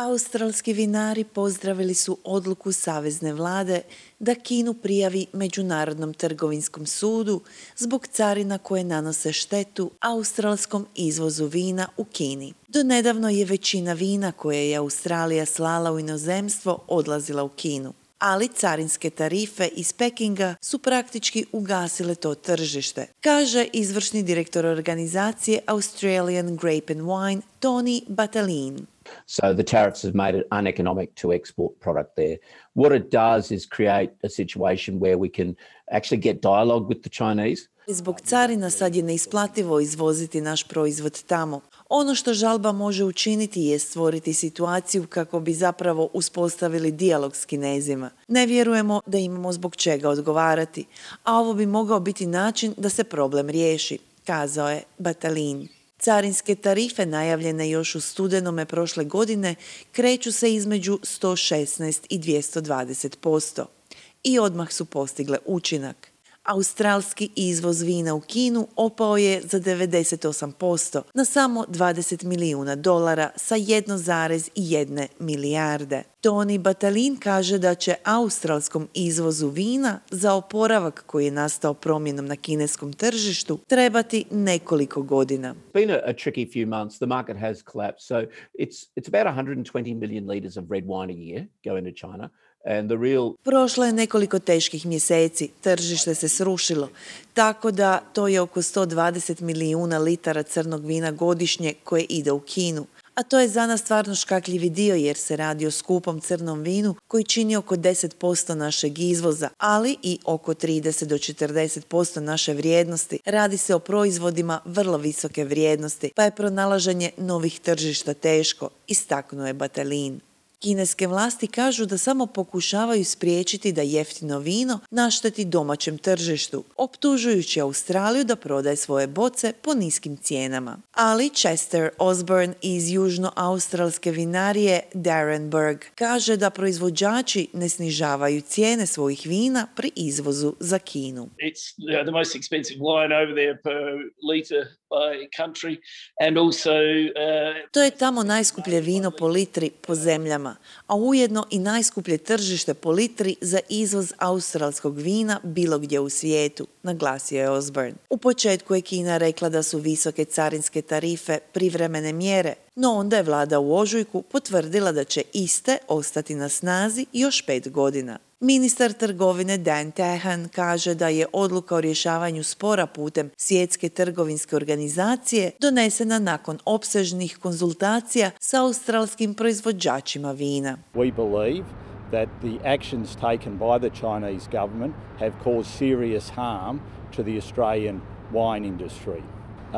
Australski vinari pozdravili su odluku savezne vlade da Kinu prijavi Međunarodnom trgovinskom sudu zbog carina koje nanose štetu australskom izvozu vina u Kini. Donedavno je većina vina koje je Australija slala u inozemstvo odlazila u Kinu, ali carinske tarife iz Pekinga su praktički ugasile to tržište, kaže izvršni direktor organizacije Australian Grape and Wine Tony Batalin. So the tariffs have made it uneconomic to export product there. What it does is create a situation where we can actually get dialogue with the Chinese. Zbog carina sad je neisplativo izvoziti naš proizvod tamo. Ono što žalba može učiniti je stvoriti situaciju kako bi zapravo uspostavili dijalog s Kinezima. Ne vjerujemo da imamo zbog čega odgovarati, a ovo bi mogao biti način da se problem riješi, kazao je Batalin. Carinske tarife najavljene još u studenome prošle godine kreću se između 116 i 220% i odmah su postigle učinak. Australski izvoz vina u Kinu opao je za 98% na samo $20 milijuna sa 1,1 milijarde. Tony Batalin kaže da će australskom izvozu vina za oporavak koji je nastao promjenom na kineskom tržištu trebati nekoliko godina. It's been a tricky few months. The market has collapsed. So it's about 120 million liters of red wine a year going to China. Prošlo je nekoliko teških mjeseci, tržište se srušilo, tako da to je oko 120 milijuna litara crnog vina godišnje koje ide u Kinu. A to je za nas stvarno škakljivi dio jer se radi o skupom crnom vinu koji čini oko 10% našeg izvoza, ali i oko 30 do 40% naše vrijednosti. Radi se o proizvodima vrlo visoke vrijednosti, pa je pronalaženje novih tržišta teško, istaknuo je Batalin. Kineske vlasti kažu da samo pokušavaju spriječiti da jeftino vino našteti domaćem tržištu, optužujući Australiju da prodaje svoje boce po niskim cijenama. Ali Chester Osborne iz južnoaustralske vinarije Darrenburg kaže da proizvođači ne snižavaju cijene svojih vina pri izvozu za Kinu. It's the most expensive wine over there per liter by country and also To je tamo najskuplje vino po litri po zemljama, a ujedno i najskuplje tržište po litri za izvoz australskog vina bilo gdje u svijetu, naglasio je Osborne. U početku je Kina rekla da su visoke carinske tarife privremene mjere, no onda je vlada u ožujku potvrdila da će iste ostati na snazi još 5 godina. Ministar trgovine Dan Tehan kaže da je odluka o rješavanju spora putem Svjetske trgovinske organizacije donesena nakon opsežnih konzultacija sa australskim proizvođačima vina. We believe that the actions taken by the Chinese government have caused serious harm to the Australian wine industry.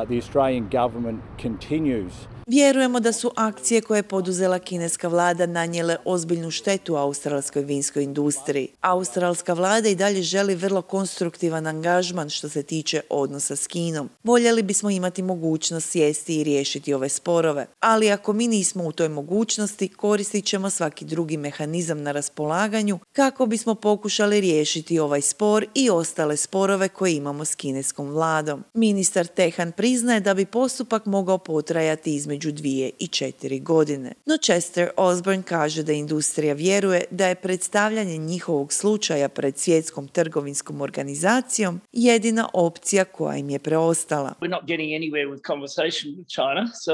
The Australian government continues. Vjerujemo da su akcije koje je poduzela kineska vlada nanijele ozbiljnu štetu australskoj vinskoj industriji. Australska vlada i dalje želi vrlo konstruktivan angažman što se tiče odnosa s Kinom. Voljeli bismo imati mogućnost sjesti i riješiti ove sporove, ali ako mi nismo u toj mogućnosti, koristit ćemo svaki drugi mehanizam na raspolaganju kako bismo pokušali riješiti ovaj spor i ostale sporove koje imamo s kineskom vladom. Ministar Tehan priznaje da bi postupak mogao potrajati između 2 i 4 godine. No Chester Osborne kaže da industrija vjeruje da je predstavljanje njihovog slučaja pred Svjetskom trgovinskom organizacijom jedina opcija koja im je preostala. we're not getting anywhere with conversation with China, so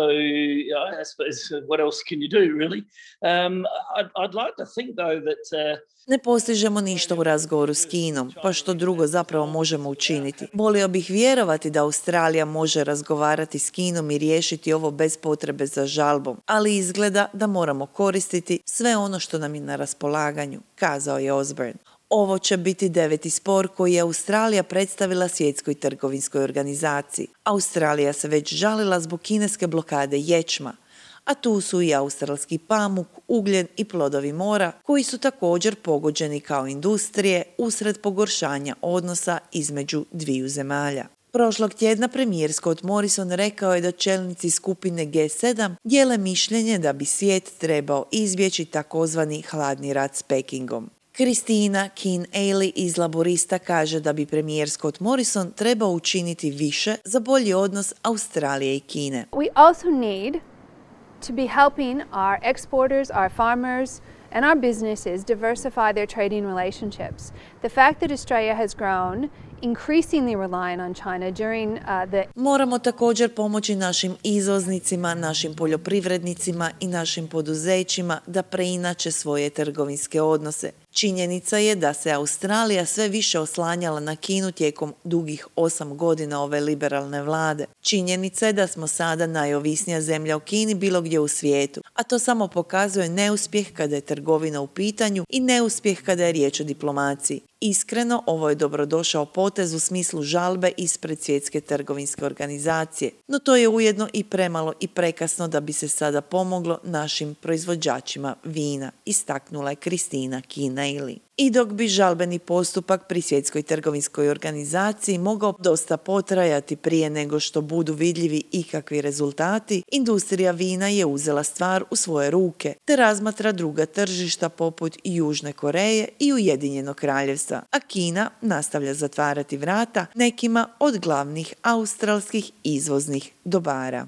I suppose what else can you do really? I'd like to think though that Ne postižemo ništa u razgovoru s Kinom, pa što drugo zapravo možemo učiniti. Volio bih vjerovati da Australija može razgovarati s Kinom i riješiti ovo bez potrebe za žalbom, ali izgleda da moramo koristiti sve ono što nam je na raspolaganju, kazao je Osborne. Ovo će biti 9. spor koji je Australija predstavila Svjetskoj trgovinskoj organizaciji. Australija se već žalila zbog kineske blokade ječma, a tu su i australski pamuk, ugljen i plodovi mora koji su također pogođeni kao industrije usred pogoršanja odnosa između dviju zemalja. Prošlog tjedna premijer Scott Morrison rekao je da čelnici skupine G7 dijele mišljenje da bi svijet trebao izbjeći takozvani hladni rat s Pekingom. Kristina Keane-Ailey iz Laborista kaže da bi premijer Scott Morrison trebao učiniti više za bolji odnos Australije i Kine. We also need to be helping our exporters, our farmers, and our businesses diversify their trading relationships. The fact that Australia has grown increasingly reliant on China during the... Moramo također pomoći našim izvoznicima, našim poljoprivrednicima i našim poduzećima da preinače svoje trgovinske odnose. Činjenica je da se Australija sve više oslanjala na Kinu tijekom dugih 8 godina ove liberalne vlade. Činjenica je da smo sada najovisnija zemlja o Kini bilo gdje u svijetu, a to samo pokazuje neuspjeh kada je trgovina u pitanju i neuspjeh kada je riječ o diplomaciji. Iskreno, ovo je dobrodošao potez u smislu žalbe ispred Svjetske trgovinske organizacije, no to je ujedno i premalo i prekasno da bi se sada pomoglo našim proizvođačima vina, istaknula je Kristina Kinaili. I dok bi žalbeni postupak pri Svjetskoj trgovinskoj organizaciji mogao dosta potrajati prije nego što budu vidljivi ikakvi rezultati, industrija vina je uzela stvar u svoje ruke te razmatra druga tržišta poput Južne Koreje i Ujedinjenog Kraljevstva, a Kina nastavlja zatvarati vrata nekima od glavnih australskih izvoznih dobara.